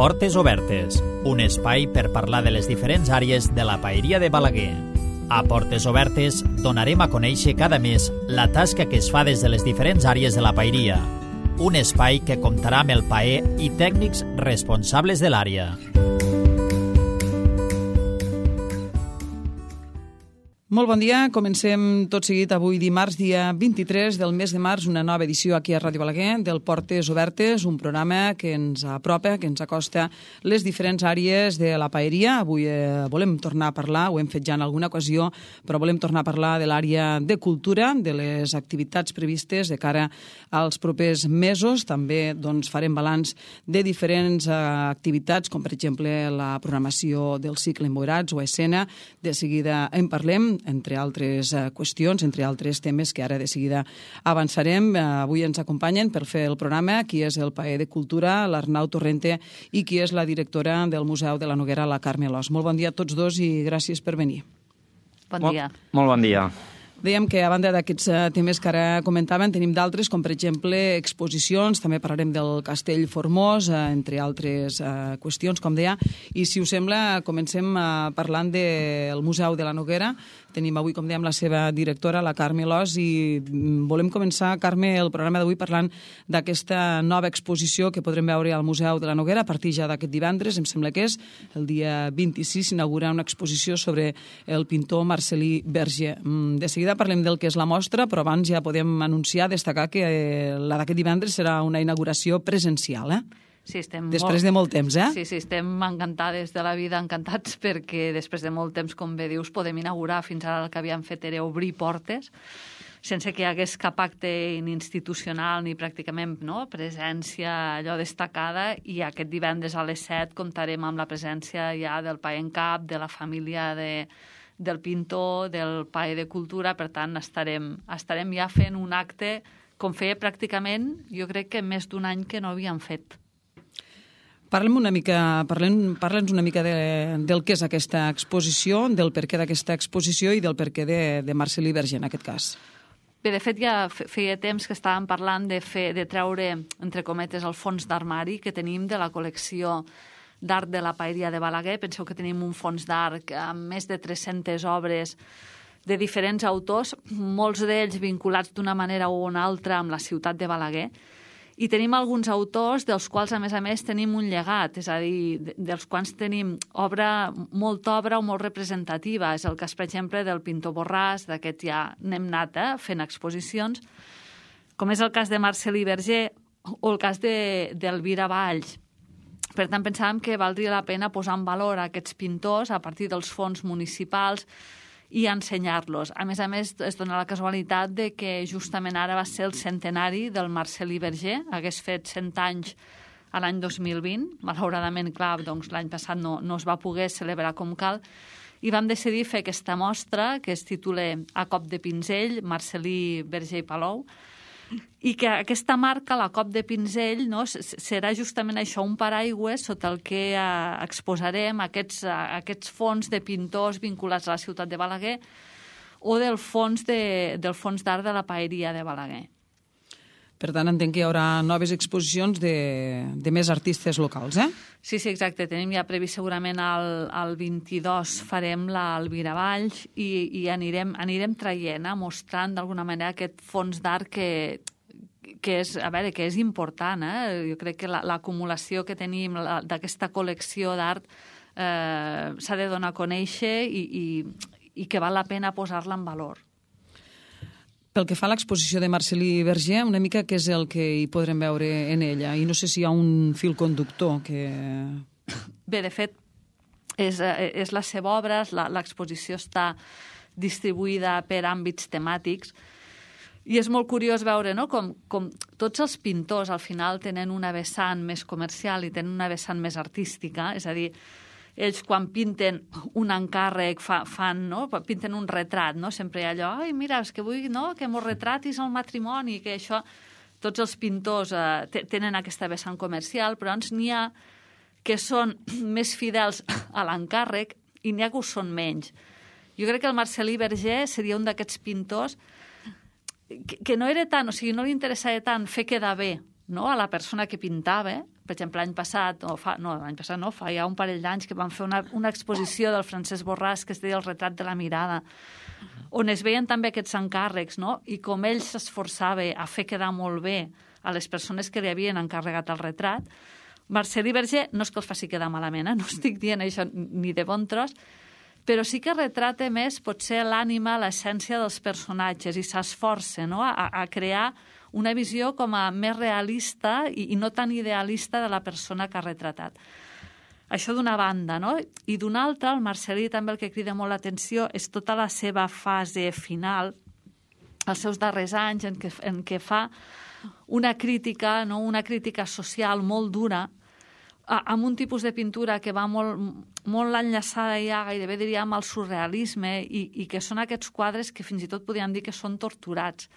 Portes Obertes, un espai per parlar de les diferents àrees de la paeria de Balaguer. A Portes Obertes donarem a conèixer cada mes la tasca que es fa des de les diferents àrees de la paeria. Un espai que comptarà amb el paer i tècnics responsables de l'àrea. Molt bon dia, comencem tot seguit avui dimarts, dia 23 del mes de març, una nova edició aquí a Ràdio Balaguer del Portes Obertes, un programa que ens apropa, que ens acosta les diferents àrees de la paeria. Avui volem tornar a parlar, ho hem fet ja en alguna ocasió, però volem tornar a parlar de l'àrea de cultura, de les activitats previstes de cara als propers mesos. També farem balanç de diferents activitats, com per exemple la programació del cicle Emboirats o Escena. De seguida en parlem, entre altres qüestions, entre altres temes que ara de seguida avançarem. Avui ens acompanyen per fer el programa qui és el paer de Cultura, l'Arnau Torrente, i qui és la directora del Museu de la Noguera, la Carme Alòs. Molt bon dia a tots dos i gràcies per venir. Bon dia. Molt bon dia. Dèiem que a banda d'aquests temes que ara comentaven, tenim d'altres, com per exemple exposicions, també parlarem del Castell Formós, entre altres qüestions, com deia. I si us sembla, comencem parlant del Museu de la Noguera. Tenim avui, com dèiem, la seva directora, la Carme Alòs, i volem començar, Carme, el programa d'avui parlant d'aquesta nova exposició que podrem veure al Museu de la Noguera a partir ja d'aquest divendres, em sembla que és el dia 26, s'inaugura una exposició sobre el pintor Marcel·lí Verger. De seguida parlem del que és la mostra, però abans ja podem anunciar, destacar que la d'aquest divendres serà una inauguració presencial, Sí, després de molt temps, Sí, estem encantades de la vida, encantats, perquè després de molt temps, com bé dius, podem inaugurar. Fins ara el que havíem fet era obrir portes, sense que hi hagués cap acte ni institucional ni pràcticament presència allò destacada, i aquest divendres a les 7 comptarem amb la presència ja del paer en cap, de la família del pintor, del paer de Cultura. Per tant, estarem ja fent un acte com feia pràcticament, jo crec que més d'un any que no havíem fet. Parla'ns una mica del que és aquesta exposició, del perquè d'aquesta exposició i del perquè de Marcel·lí Verger, en aquest cas. Bé, de fet, ja feia temps que estàvem parlant de treure, entre cometes, el fons d'armari que tenim de la col·lecció d'art de la paeria de Balaguer. Penseu que tenim un fons d'art amb més de 300 obres de diferents autors, molts d'ells vinculats d'una manera o una altra amb la ciutat de Balaguer. I tenim alguns autors dels quals, a més, tenim un llegat, és a dir, dels quals tenim molta obra o molt representativa. És el cas, per exemple, del pintor Borràs, d'aquest ja n'hem anat fent exposicions, com és el cas de Marcel·lí Verger o el cas d'Elvira Valls. Per tant, pensàvem que valdria la pena posar en valor aquests pintors a partir dels fons municipals i ensenyar-los. A més, es dona la casualitat de que justament ara va ser el centenari del Marcel·lí Verger, hagués fet 100 anys a l'any 2020. Malauradament, clar, l'any passat no es va poder celebrar com cal, i vam decidir fer aquesta mostra que es titula A cop de pinzell, Marcel·lí Verger i Palou, i que aquesta marca, la cop de pinzell, serà justament això, un paraigües sota el que exposarem aquests fons de pintors vinculats a la ciutat de Balaguer o del fons d'art de la paeria de Balaguer. Per tant, entenc que hi haurà noves exposicions de més artistes locals, Sí, exacte. Tenim ja previst segurament el 22 farem l'Elvira Valls i anirem traient, mostrant d'alguna manera aquest fons d'art que és important. Jo crec que l'acumulació que tenim d'aquesta col·lecció d'art s'ha de donar a conèixer i que val la pena posar-la en valor. Pel que fa a l'exposició de Marcel·lí Verger, una mica què és el que hi podrem veure en ella? I no sé si hi ha un fil conductor que... Bé, de fet, és la seva obra, l'exposició està distribuïda per àmbits temàtics, i és molt curiós veure com tots els pintors al final tenen una vessant més comercial i tenen una vessant més artística, és a dir, ells quan pinten un encàrrec pinten un retrat, sempre hi ha allò, ai, mira, és que vull que m'ho retratis al matrimoni, que això... Tots els pintors tenen aquesta vessant comercial, però n'hi ha que són més fidels a l'encàrrec i n'hi ha que ho són menys. Jo crec que el Marcel·lí Verger seria un d'aquests pintors que no era tant, o sigui, no li interessava tant fer quedar bé a la persona que pintava, Per exemple, fa ja un parell d'anys que vam fer una exposició del Francesc Borràs que es deia El retrat de la mirada, on es veien també aquests encàrrecs, no? I com ell s'esforçava a fer quedar molt bé a les persones que li havien encarregat el retrat. Marcel·lí Verger no és que els faci quedar malament, no estic dient això ni de bon tros, però sí que retrata més potser l'ànima, l'essència dels personatges i s'esforça, no? a crear una visió com a més realista i no tan idealista de la persona que ha retratat. Això d'una banda, no? I d'una altra, el Marcel·lí també el que crida molt l'atenció és tota la seva fase final, els seus darrers anys en què fa una crítica, no? Una crítica social molt dura, amb un tipus de pintura que va molt enllaçada ja, gairebé diríem, amb el surrealisme i que són aquests quadres que fins i tot podríem dir que són torturats.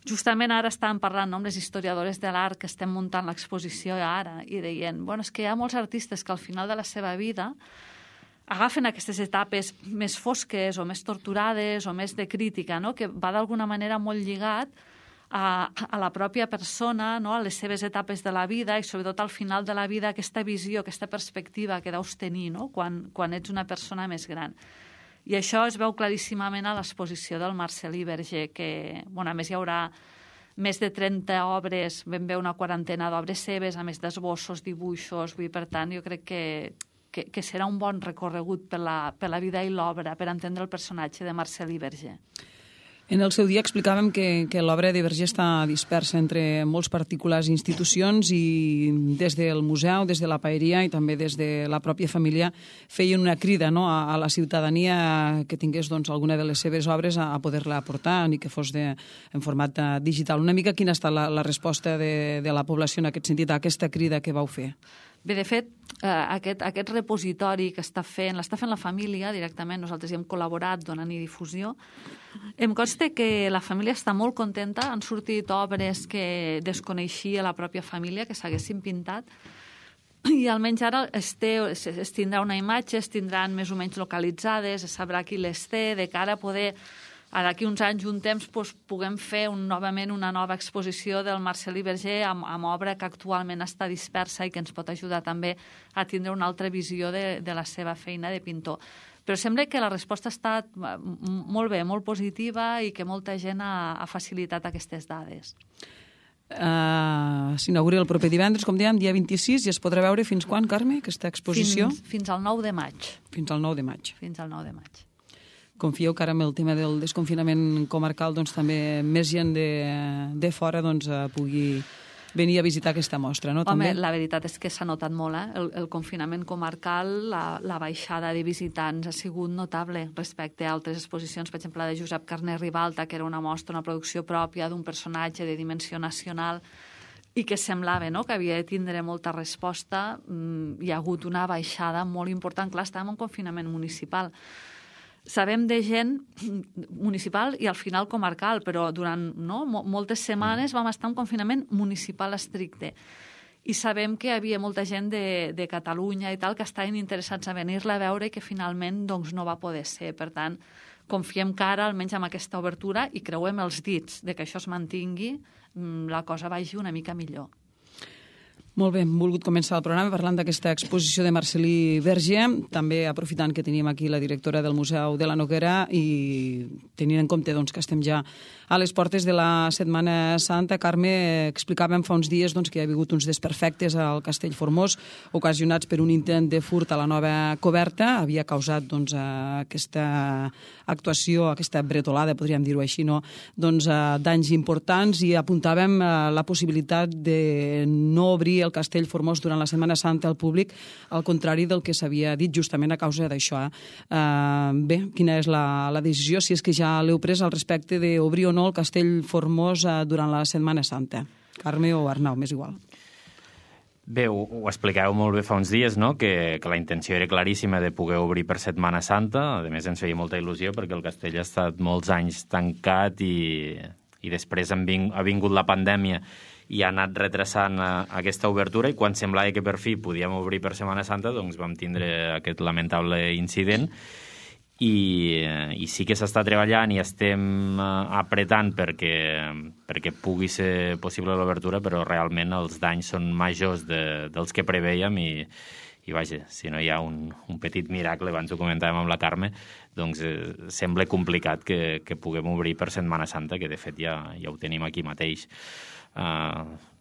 Justament ara estàvem parlant amb les historiadores de l'art que estem muntant l'exposició ara i deien, és que hi ha molts artistes que al final de la seva vida agafen aquestes etapes més fosques o més torturades o més de crítica, no? Que va d'alguna manera molt lligat a la pròpia persona, no? A les seves etapes de la vida i sobretot al final de la vida aquesta visió, aquesta perspectiva que deus tenir, no? Quan ets una persona més gran. I això es veu claríssimament a l'exposició del Marcel·lí Verger, que, a més, hi haurà més de 30 obres, ben bé una quarantena d'obres seves, a més d'esbossos, dibuixos, per tant, jo crec que serà un bon recorregut per la vida i l'obra, per entendre el personatge de Marcel·lí Verger. En el seu dia explicàvem que l'obra de Verger està dispersa entre molts particulars i institucions i des del museu, des de la paeria i també des de la pròpia família feien una crida, no? a la ciutadania que tingués alguna de les seves obres a poder-la aportar, ni que fos en format digital. Una mica quina ha estat la resposta de la població en aquest sentit, a aquesta crida que vau fer? Bé, de fet, aquest repositori que l'està fent la família directament, nosaltres hi hem col·laborat donant-hi difusió. Em consta que la família està molt contenta, han sortit obres que desconeixia la pròpia família, que s'haguessin pintat, i almenys ara es tindrà una imatge, es tindran més o menys localitzades, es sabrà qui les té, de cara a poder... Ara, d'aquí uns anys, un temps, puguem fer novament una nova exposició del Marcel·lí Verger amb obra que actualment està dispersa i que ens pot ajudar també a tindre una altra visió de la seva feina de pintor. Però sembla que la resposta ha estat molt bé, molt positiva i que molta gent ha facilitat aquestes dades. S'inaugura el proper divendres, com dèiem, dia 26, i es podrà veure fins quan, Carme, aquesta exposició? Fins al 9 de maig. Fins al 9 de maig. Fins al 9 de maig. Confieu que ara amb el tema del desconfinament comarcal també més gent de fora pugui venir a visitar aquesta mostra, no? Home, també? La veritat és que s'ha notat molt, el confinament comarcal, la baixada de visitants ha sigut notable respecte a altres exposicions, per exemple la de Josep Carner Ribalta, que era una mostra, una producció pròpia d'un personatge de dimensió nacional i que semblava que havia de tindre molta resposta. Hi ha hagut una baixada molt important. Clar, estàvem en confinament municipal. Sabem de gent municipal i al final comarcal, però durant moltes setmanes vam estar en confinament municipal estricte. I sabem que hi havia molta gent de Catalunya i tal que estaven interessats a venir-la a veure i que finalment no va poder ser. Per tant, confiem que ara, almenys amb aquesta obertura, i creuem els dits de que això es mantingui, la cosa vagi una mica millor. Molt bé, hem volgut començar el programa parlant d'aquesta exposició de Marcel·lí Verger, també aprofitant que tenim aquí la directora del Museu de la Noguera i tenint en compte que estem ja a les portes de la Setmana Santa. Carme, explicàvem fa uns dies que hi ha hagut uns desperfectes al Castell Formós ocasionats per un intent de furt a la nova coberta. Havia causat aquesta actuació, aquesta bretolada, podríem dir-ho així, danys importants, i apuntàvem la possibilitat de no obrir el Castell Formós durant la Setmana Santa al públic, al contrari del que s'havia dit justament a causa d'això. Bé, quina és la decisió, si és que ja l'heu pres al respecte d'obrir o no el Castell Formós durant la Setmana Santa? Carme o Arnau, m'és igual. Bé, ho explicàveu molt bé fa uns dies, no? Que la intenció era claríssima de poder obrir per Setmana Santa. A més, ens feia molta il·lusió perquè el castell ha estat molts anys tancat i després ha vingut la pandèmia i ha anat retrasant aquesta obertura, i quan semblava que per fi podíem obrir per Setmana Santa, vam tindre aquest lamentable incident. i sí que s'està treballant i estem apretant perquè pugui ser possible l'obertura, però realment els danys són majors dels que preveiem i vaja, si no hi ha un petit miracle, abans ho comentàvem amb la Carme, doncs sembla complicat que puguem obrir per Setmana Santa, que de fet ja ho tenim aquí mateix.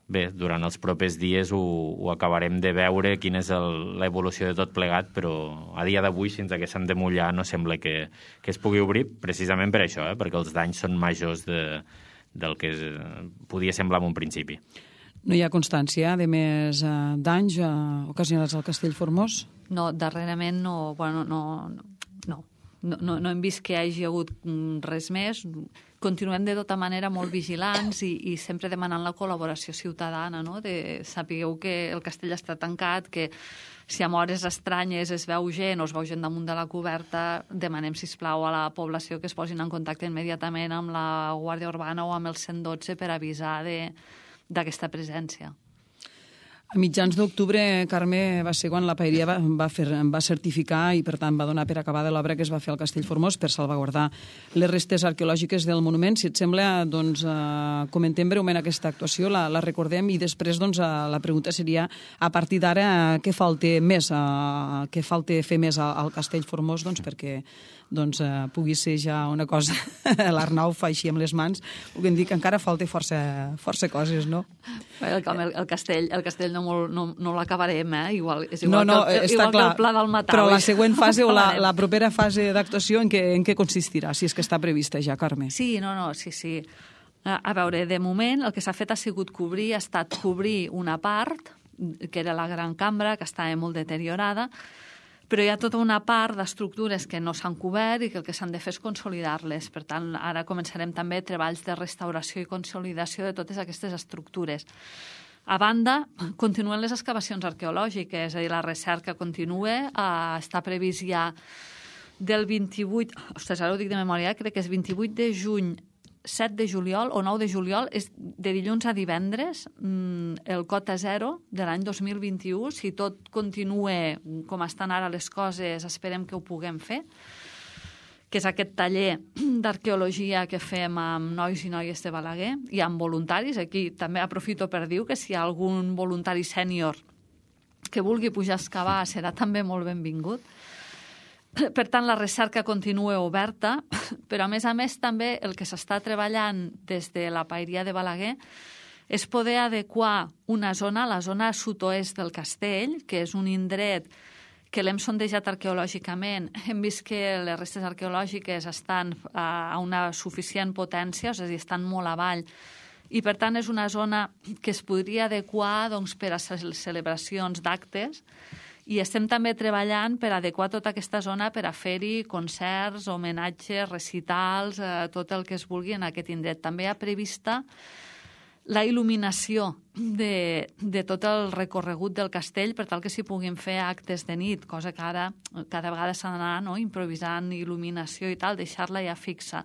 Bé, durant els propers dies ho acabarem de veure quina és l'evolució de tot plegat, però a dia d'avui, fins que s'han de mullar, no sembla que es pugui obrir, precisament per això, perquè els danys són majors del que podia semblar en un principi. No hi ha constància de més danys ocasionats al Castell Formós? No, darrerament no hem vist que hi hagi hagut res més. Continuem de tota manera molt vigilants i sempre demanant la col·laboració ciutadana, no? Sapigueu que el castell està tancat, que si en hores estranyes es veu gent o es veu gent damunt de la coberta, demanem, sisplau, a la població que es posin en contacte immediatament amb la Guàrdia Urbana o amb el 112 per avisar d'aquesta presència. A mitjans d'octubre, Carme, va ser quan la Paeria va certificar i, per tant, va donar per acabada l'obra que es va fer al Castell Formós per salvaguardar les restes arqueològiques del monument. Si et sembla, doncs, comentem breument aquesta actuació, la recordem i després doncs, la pregunta seria, a partir d'ara, què falta més? Què falta fer més al Castell Formós perquè pugui ser ja una cosa... L'Arnau fa així amb les mans, puguem dir que encara falta força coses, no? El castell no l'acabarem, igual que el Pla del Matau. Però la següent fase o la propera fase d'actuació en què consistirà, si és que està prevista ja, Carme? Sí. A veure, de moment el que s'ha fet ha estat cobrir una part, que era la gran cambra, que estava molt deteriorada, però hi ha tota una part d'estructures que no s'han cobert i que el que s'han de fer és consolidar-les. Per tant, ara començarem també treballs de restauració i consolidació de totes aquestes estructures. A banda, continuen les excavacions arqueològiques, és a dir, la recerca continua, està previst ja del 28... Ostres, ara ho dic de memòria, crec que és 28 de juny, 7 de juliol o 9 de juliol, és de dilluns a divendres, el Cota Zero de l'any 2021. Si tot continua com estan ara les coses, esperem que ho puguem fer, que és aquest taller d'arqueologia que fem amb nois i noies de Balaguer i amb voluntaris. Aquí també aprofito per dir que si hi ha algun voluntari sènior que vulgui pujar a excavar serà també molt benvingut. Per tant, la recerca continua oberta, però a més també el que s'està treballant des de la Paeria de Balaguer és poder adequar una zona, la zona sud-oest del castell, que és un indret que l'hem sondejat arqueològicament. Hem vist que les restes arqueològiques estan a una suficient potència, és a dir, estan molt avall, i per tant és una zona que es podria adequar per a celebracions d'actes, i estem també treballant per adequar tota aquesta zona per a fer-hi concerts, homenatges, recitals, tot el que es vulgui en aquest indret. També hi ha prevista la il·luminació de tot el recorregut del castell per tal que s'hi puguin fer actes de nit, cosa que ara cada vegada s'ha d'anar improvisant il·luminació i tal, deixar-la ja fixa.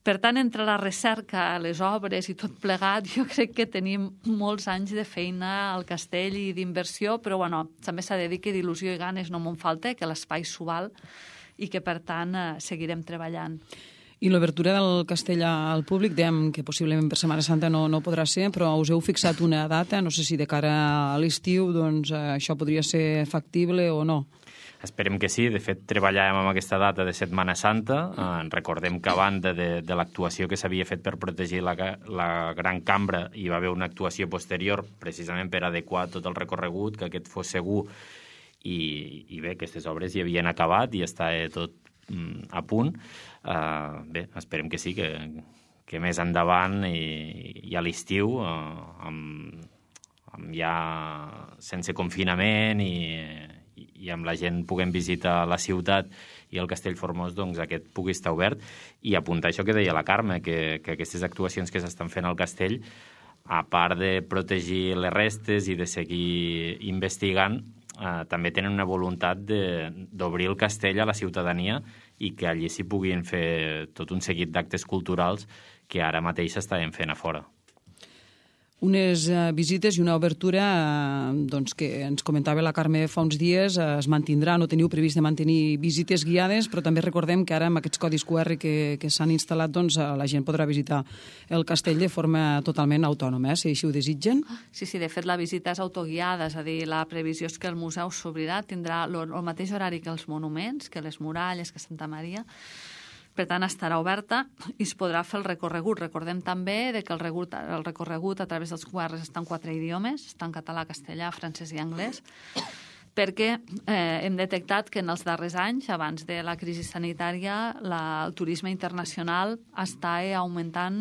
Per tant, entre la recerca, les obres i tot plegat, jo crec que tenim molts anys de feina al castell i d'inversió, però també s'ha de dir que d'il·lusió i ganes no me'n falta, que l'espai s'ho val i que, per tant, seguirem treballant. I l'obertura del castell al públic, dèiem que possiblement per Setmana Santa no podrà ser, però us heu fixat una data, no sé si de cara a l'estiu això podria ser factible o no. Esperem que sí. De fet, treballàvem amb aquesta data de Setmana Santa. Recordem que a banda de l'actuació que s'havia fet per protegir la Gran Cambra, hi va haver una actuació posterior precisament per adequar tot el recorregut, que aquest fos segur. I bé, aquestes obres hi havien acabat i està tot a punt. Bé, esperem que sí, que més endavant i a l'estiu, ja sense confinament i amb la gent puguem visitar la ciutat i el Castell Formós, doncs aquest pugui estar obert. I apuntar això que deia la Carme, que aquestes actuacions que s'estan fent al castell, a part de protegir les restes i de seguir investigant, també tenen una voluntat d'obrir el castell a la ciutadania i que allí s'hi puguin fer tot un seguit d'actes culturals que ara mateix s'estaven fent a fora. unes visites i una obertura doncs, que ens comentava la Carme fa uns dies, es mantindrà, no teniu previst de mantenir visites guiades, però també recordem que ara amb aquests codis QR que s'han instal·lat, doncs, la gent podrà visitar el castell de forma totalment autònoma, si així ho desitgen. Sí, de fet la visita és autoguiada, és a dir, la previsió és que el museu s'obrirà, tindrà el mateix horari que els monuments, que les muralles, que Santa Maria. Per tant, estarà oberta i es podrà fer el recorregut. Recordem també que el recorregut a través dels QRs està en 4 idiomes, està en català, castellà, francès i anglès, perquè hem detectat que en els darrers anys, abans de la crisi sanitària, el turisme internacional està augmentant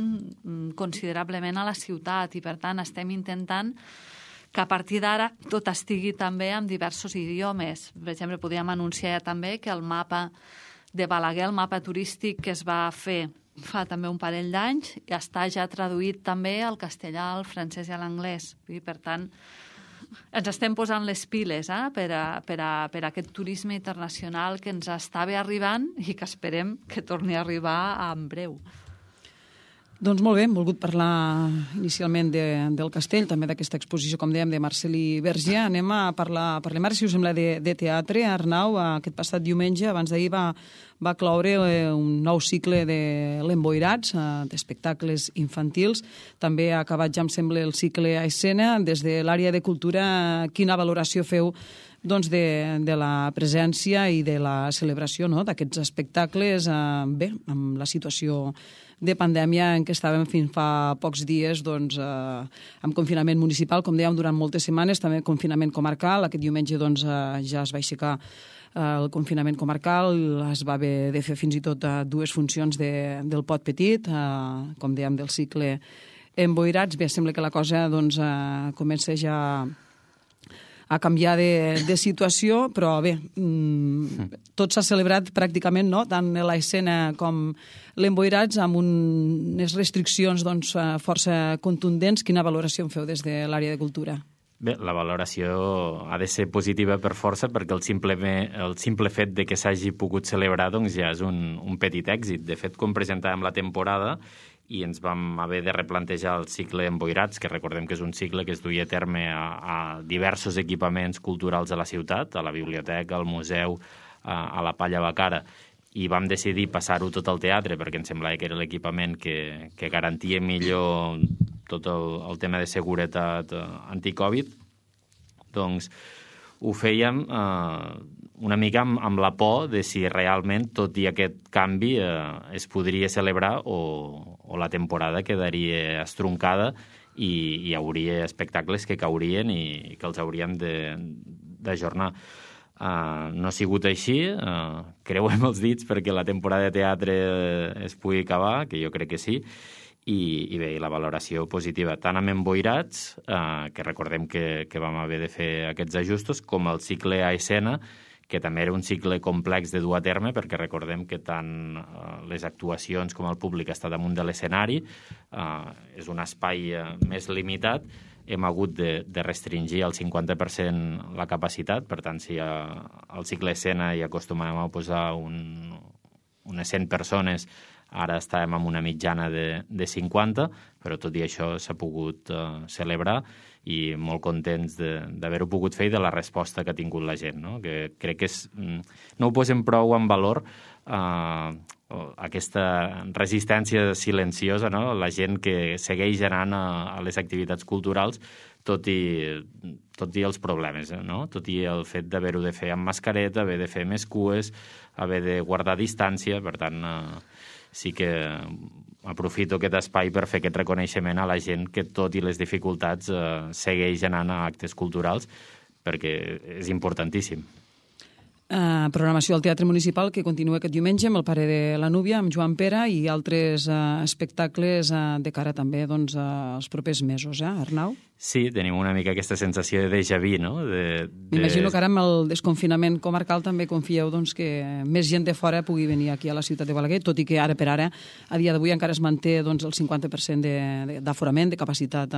considerablement a la ciutat i, per tant, estem intentant que a partir d'ara tot estigui també en diversos idiomes. Per exemple, podríem anunciar també que el mapa de Balaguer, el mapa turístic que es va fer fa també un parell d'anys, està ja traduït també al castellà, al francès i a l'anglès. Per tant, ens estem posant les piles per a aquest turisme internacional que ens estava arribant i que esperem que torni a arribar en breu. Doncs molt bé, hem volgut parlar inicialment del castell, també d'aquesta exposició, com dèiem, de Marcel·lí Vergier. Anem a parlem ara, si us sembla, de teatre. Arnau, aquest passat diumenge, abans d'ahir, va cloure un nou cicle de l'Emboirats, d'espectacles infantils. També ha acabat, ja em sembla, el cicle a escena. Des de l'àrea de cultura, quina valoració feu doncs, de la presència i de la celebració, no?, d'aquests espectacles, bé, amb la situació de pandèmia en què estàvem fins fa pocs dies, doncs, amb confinament municipal, com dèiem, durant moltes setmanes, també confinament comarcal. Aquest diumenge doncs, ja es va aixecar el confinament comarcal, es va haver de fer fins i tot 2 funcions del Pot Petit, com dèiem, del cicle Emboirats. Bé, sembla que la cosa doncs, comença ja a canviar de situació, però bé, tot s'ha celebrat pràcticament, no?, tant l'escena com l'Emboirats, amb unes restriccions doncs, força contundents. Quina valoració en feu des de l'àrea de cultura? Bé, la valoració ha de ser positiva per força, perquè el simple fet de que s'hagi pogut celebrar doncs, ja és un petit èxit. De fet, quan presentàvem la temporada i ens vam haver de replantejar el cicle Emboirats, que recordem que és un cicle que es duia a terme a diversos equipaments culturals de la ciutat, a la biblioteca, al museu, a la Palla Bacara, i vam decidir passar-ho tot al teatre perquè ens semblava que era l'equipament que garantia millor tot el tema de seguretat anticovid. Doncs ho fèiem una mica amb la por de si realment, tot i aquest canvi, es podria celebrar o la temporada quedaria estroncada i hi hauria espectacles que caurien i que els hauríem d'ajornar. No ha sigut així, creuem els dits perquè la temporada de teatre es pugui acabar, que jo crec que sí, i bé, la valoració positiva, tant amb Emboirats, que recordem que vam haver de fer aquests ajustos, com el cicle a escena, que també era un cicle complex de dur a terme, perquè recordem que tant les actuacions com el públic està damunt de l'escenari, és un espai més limitat, hem hagut de restringir al 50% la capacitat, per tant, si al cicle escena hi acostumàvem a posar unes 100 persones, ara estàvem amb una mitjana de 50, però tot i això s'ha pogut celebrar i molt contents d'haver-ho pogut fer i de la resposta que ha tingut la gent, no? Que crec que no ho posem prou en valor, aquesta resistència silenciosa, no? La gent que segueix anant a les activitats culturals tot i els problemes, no? Tot i el fet d'haver-ho de fer amb mascareta, haver de fer més cues, haver de guardar distància. Per tant, sí que aprofito aquest espai per fer aquest reconeixement a la gent que, tot i les dificultats, segueix anant a actes culturals, perquè és importantíssim. Programació al Teatre Municipal que continua aquest diumenge amb el Pare de la Núvia, amb Joan Pera, i altres espectacles de cara també als propers mesos, Arnau? Sí, tenim una mica aquesta sensació de déjà vu, no? M'imagino que ara amb el desconfinament comarcal també confieu doncs, que més gent de fora pugui venir aquí a la ciutat de Balaguer, tot i que ara per ara, a dia d'avui, encara es manté doncs, el 50% d'aforament, de capacitat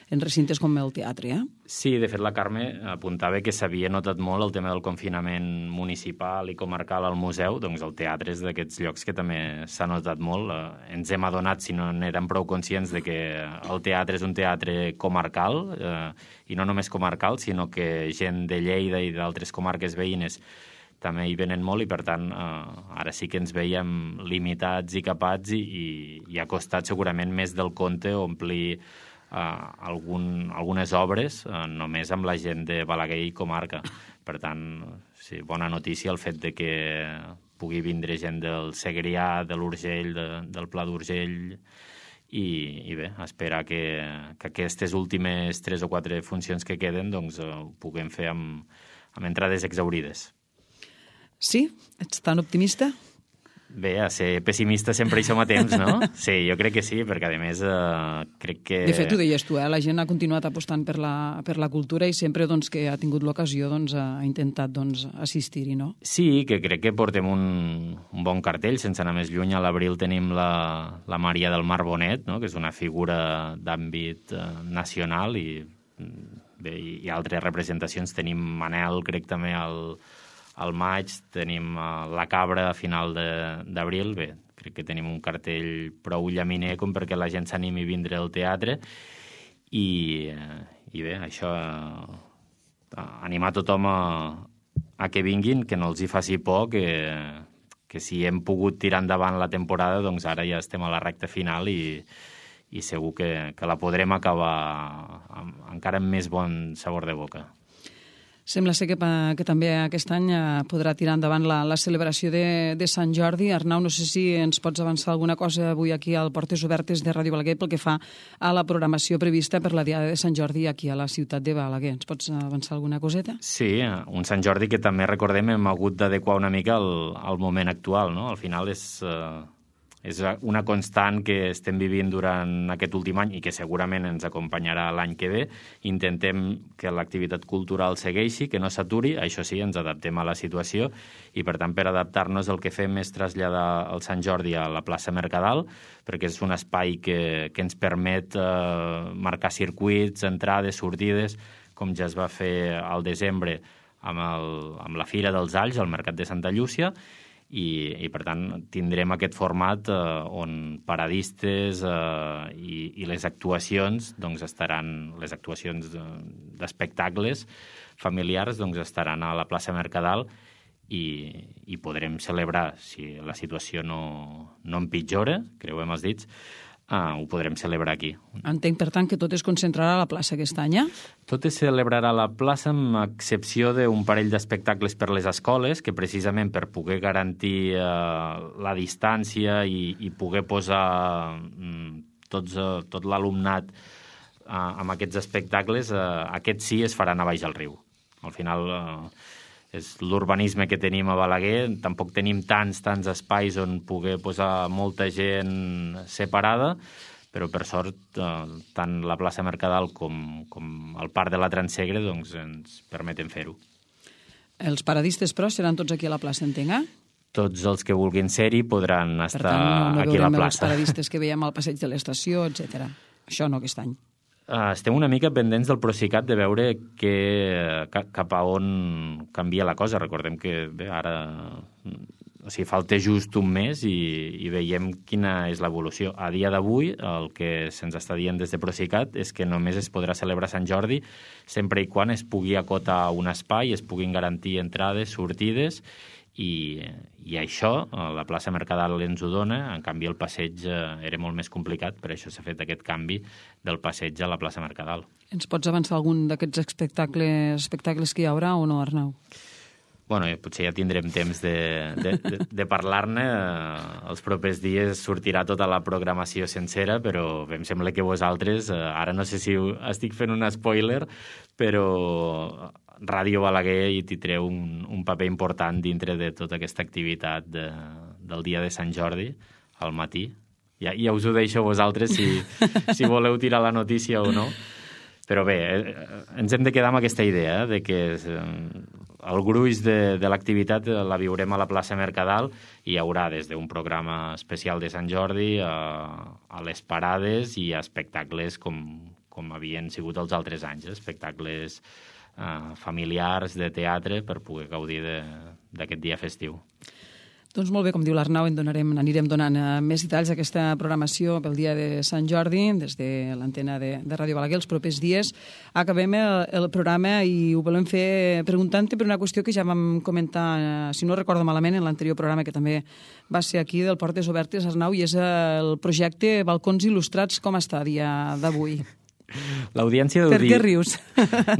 en recintes com el teatre. Sí, de fet la Carme apuntava que s'havia notat molt el tema del confinament municipal i comarcal al museu, doncs el teatre és d'aquests llocs que també s'ha notat molt. Ens hem adonat, si no n'érem prou conscients, de que el teatre és un teatre comarcal, i no només comarcal, sinó que gent de Lleida i d'altres comarques veïnes també hi venen molt i, per tant, ara sí que ens veiem limitats i capats i ha costat segurament més del compte omplir algunes obres només amb la gent de Balaguer i comarca. Per tant, sí, bona notícia el fet de que pugui vindre gent del Segrià, de l'Urgell, del Pla d'Urgell, i bé, esperar que aquestes últimes 3 o 4 funcions que queden doncs ho puguem fer amb entrades exaurides. Sí? Ets tan optimista? Bé, a ser pessimista sempre hi som a temps, no? Sí, jo crec que sí, perquè a més crec que... De fet, ho deies tu, la gent ha continuat apostant per la cultura i sempre doncs, que ha tingut l'ocasió doncs, ha intentat doncs, assistir-hi, no? Sí, que crec que portem un bon cartell, sense anar més lluny. A l'abril tenim la Maria del Mar Bonet, no? Que és una figura d'àmbit nacional, i altres representacions. Tenim Manel, crec també al maig, tenim la Cabra a final d'abril. Bé, crec que tenim un cartell prou llaminer com perquè la gent s'animi a vindre al teatre i bé, això animar tothom a que vinguin, que no els hi faci por, que si hem pogut tirar endavant la temporada, doncs ara ja estem a la recta final i segur que la podrem acabar encara amb més bon sabor de boca. Sembla ser que també aquest any podrà tirar endavant la celebració de Sant Jordi. Arnau, no sé si ens pots avançar alguna cosa avui aquí al Portes Obertes de Ràdio Balaguer pel que fa a la programació prevista per la Diada de Sant Jordi aquí a la ciutat de Balaguer. Ens pots avançar alguna coseta? Sí, un Sant Jordi que també, recordem, hem hagut d'adequar una mica al moment actual, no? Al final és una constant que estem vivint durant aquest últim any i que segurament ens acompanyarà l'any que ve. Intentem que l'activitat cultural segueixi, que no s'aturi. Això sí, ens adaptem a la situació i, per tant, per adaptar-nos el que fem és traslladar el Sant Jordi a la plaça Mercadal, perquè és un espai que ens permet marcar circuits, entrades, sortides, com ja es va fer al desembre amb la Fira dels Alls, al Mercat de Santa Llúcia, i per tant tindrem aquest format on paradistes i les actuacions doncs estaran, les actuacions d'espectacles familiars doncs estaran a la plaça Mercadal i podrem celebrar, si la situació no empitjora, creuem els dits, ho podrem celebrar aquí. Entenc, per tant, que tot es concentrarà a la plaça aquest any, Tot es celebrarà a la plaça, amb excepció d'un parell d'espectacles per les escoles, que precisament per poder garantir la distància i poder posar tot l'alumnat amb aquests espectacles, aquests sí es faran a baix al riu. Al final és l'urbanisme que tenim a Balaguer, tampoc tenim tants espais on poder posar molta gent separada, però per sort tant la plaça Mercadal com el parc de la Transsegre doncs, ens permeten fer-ho. Els paradistes, però, seran tots aquí a la plaça, entenc, Tots els que vulguin ser-hi podran estar per tant, aquí a la veurem plaça. Els paradistes que veiem al passeig de l'estació, etc. Això no aquest any. Estem una mica pendents del Procicat de veure cap a on canvia la cosa. Recordem que bé, ara falta just un mes i veiem quina és l'evolució. A dia d'avui, el que se'ns està dient des de Procicat és que només es podrà celebrar Sant Jordi sempre i quan es pugui acotar un espai, es puguin garantir entrades, sortides, i això, la plaça Mercadal ens ho dona. En canvi, el passeig era molt més complicat, per això s'ha fet aquest canvi del passeig a la plaça Mercadal. Ens pots avançar algun d'aquests espectacles que hi haurà o no, Arnau? Bueno, potser ja tindrem temps de parlar-ne. Els propers dies sortirà tota la programació sencera, però em sembla que vosaltres, ara no sé si estic fent un spoiler, però Ràdio Balaguer hi tindreu un paper important dintre de tota aquesta activitat del dia de Sant Jordi al matí. Ja us ho deixo a vosaltres si voleu tirar la notícia o no. Però bé, ens hem de quedar amb aquesta idea, de que el gruix de l'activitat la viurem a la plaça Mercadal i hi haurà des d'un programa especial de Sant Jordi a les parades i a espectacles com havien sigut els altres anys, espectacles familiars de teatre per poder gaudir d'aquest dia festiu. Doncs molt bé, com diu l'Arnau, anirem donant més detalls d'aquesta programació pel dia de Sant Jordi des de l'antena de Ràdio Balaguer els propers dies. Acabem el programa i ho volem fer preguntant-te per una qüestió que ja vam comentar, si no recordo malament, en l'anterior programa que també va ser aquí del Portes Obertes, Arnau, i és el projecte Balcons Il·lustrats. Com està a dia d'avui? L'audiència deu dir... Per què rius?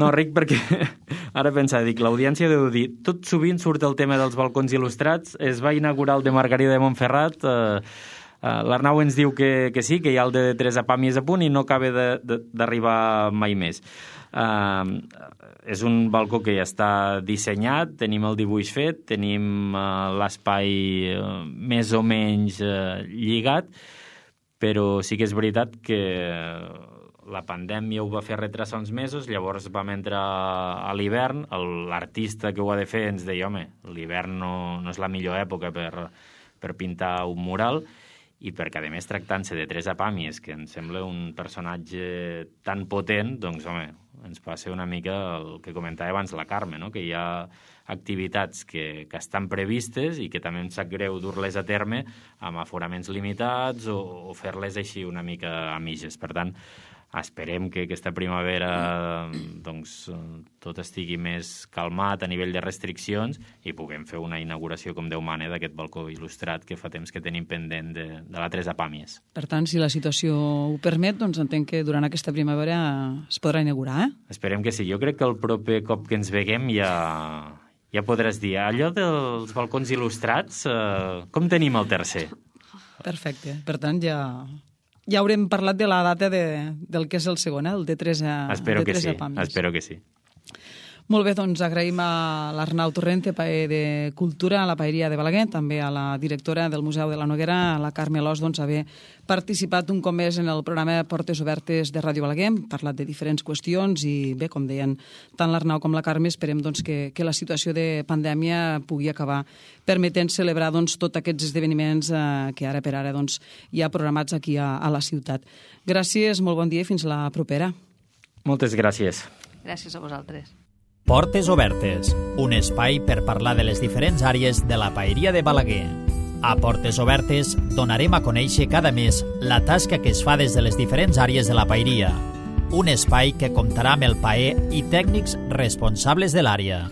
No, ric perquè ara pensava, l'audiència deu dir, tot sovint surt el tema dels balcons il·lustrats, es va inaugurar el de Margarida de Montferrat, l'Arnau ens diu que sí, que hi ha el de Teresa Pàmies a punt i no acaba d'arribar mai més. És un balcó que ja està dissenyat, tenim el dibuix fet, tenim l'espai més o menys lligat, però sí que és veritat que la pandèmia ho va fer retrasar uns mesos, llavors vam entrar a l'hivern, l'artista que ho ha de fer ens deia, home, l'hivern no és la millor època per pintar un mural, i perquè, a més, tractant-se de Teresa Pàmies, que em sembla un personatge tan potent, doncs, home, ens passa una mica el que comentava abans la Carme, no? Que hi ha activitats que estan previstes i que també em sap greu dur-les a terme amb aforaments limitats o fer-les així una mica a mitges. Per tant, esperem que aquesta primavera doncs, tot estigui més calmat a nivell de restriccions i puguem fer una inauguració com Déu mana d'aquest balcó il·lustrat que fa temps que tenim pendent de la Teresa Pàmies. Per tant, si la situació ho permet, doncs entenc que durant aquesta primavera es podrà inaugurar, eh? Esperem que sí. Jo crec que el proper cop que ens veguem ja podràs dir, allò dels balcons il·lustrats, com tenim el tercer? Perfecte. Per tant, ja haurem parlat de la data del que és el segon, el de Teresa Pàmies. Espero que sí. Molt bé, doncs agraïm a l'Arnau Torrente, paer de Cultura, a la Paeria de Balaguer, també a la directora del Museu de la Noguera, a la Carme Alòs, doncs, haver participat un cop més en el programa Portes Obertes de Ràdio Balaguer. Hem parlat de diferents qüestions i bé, com deien tant l'Arnau com la Carme, esperem doncs, que la situació de pandèmia pugui acabar permetent celebrar doncs, tots aquests esdeveniments que ara per ara doncs, hi ha programats aquí a la ciutat. Gràcies, molt bon dia i fins la propera. Moltes gràcies. Gràcies a vosaltres. Portes Obertes, un espai per parlar de les diferents àrees de la Paeria de Balaguer. A Portes Obertes donarem a conèixer cada mes la tasca que es fa des de les diferents àrees de la paeria. Un espai que comptarà amb el paer i tècnics responsables de l'àrea.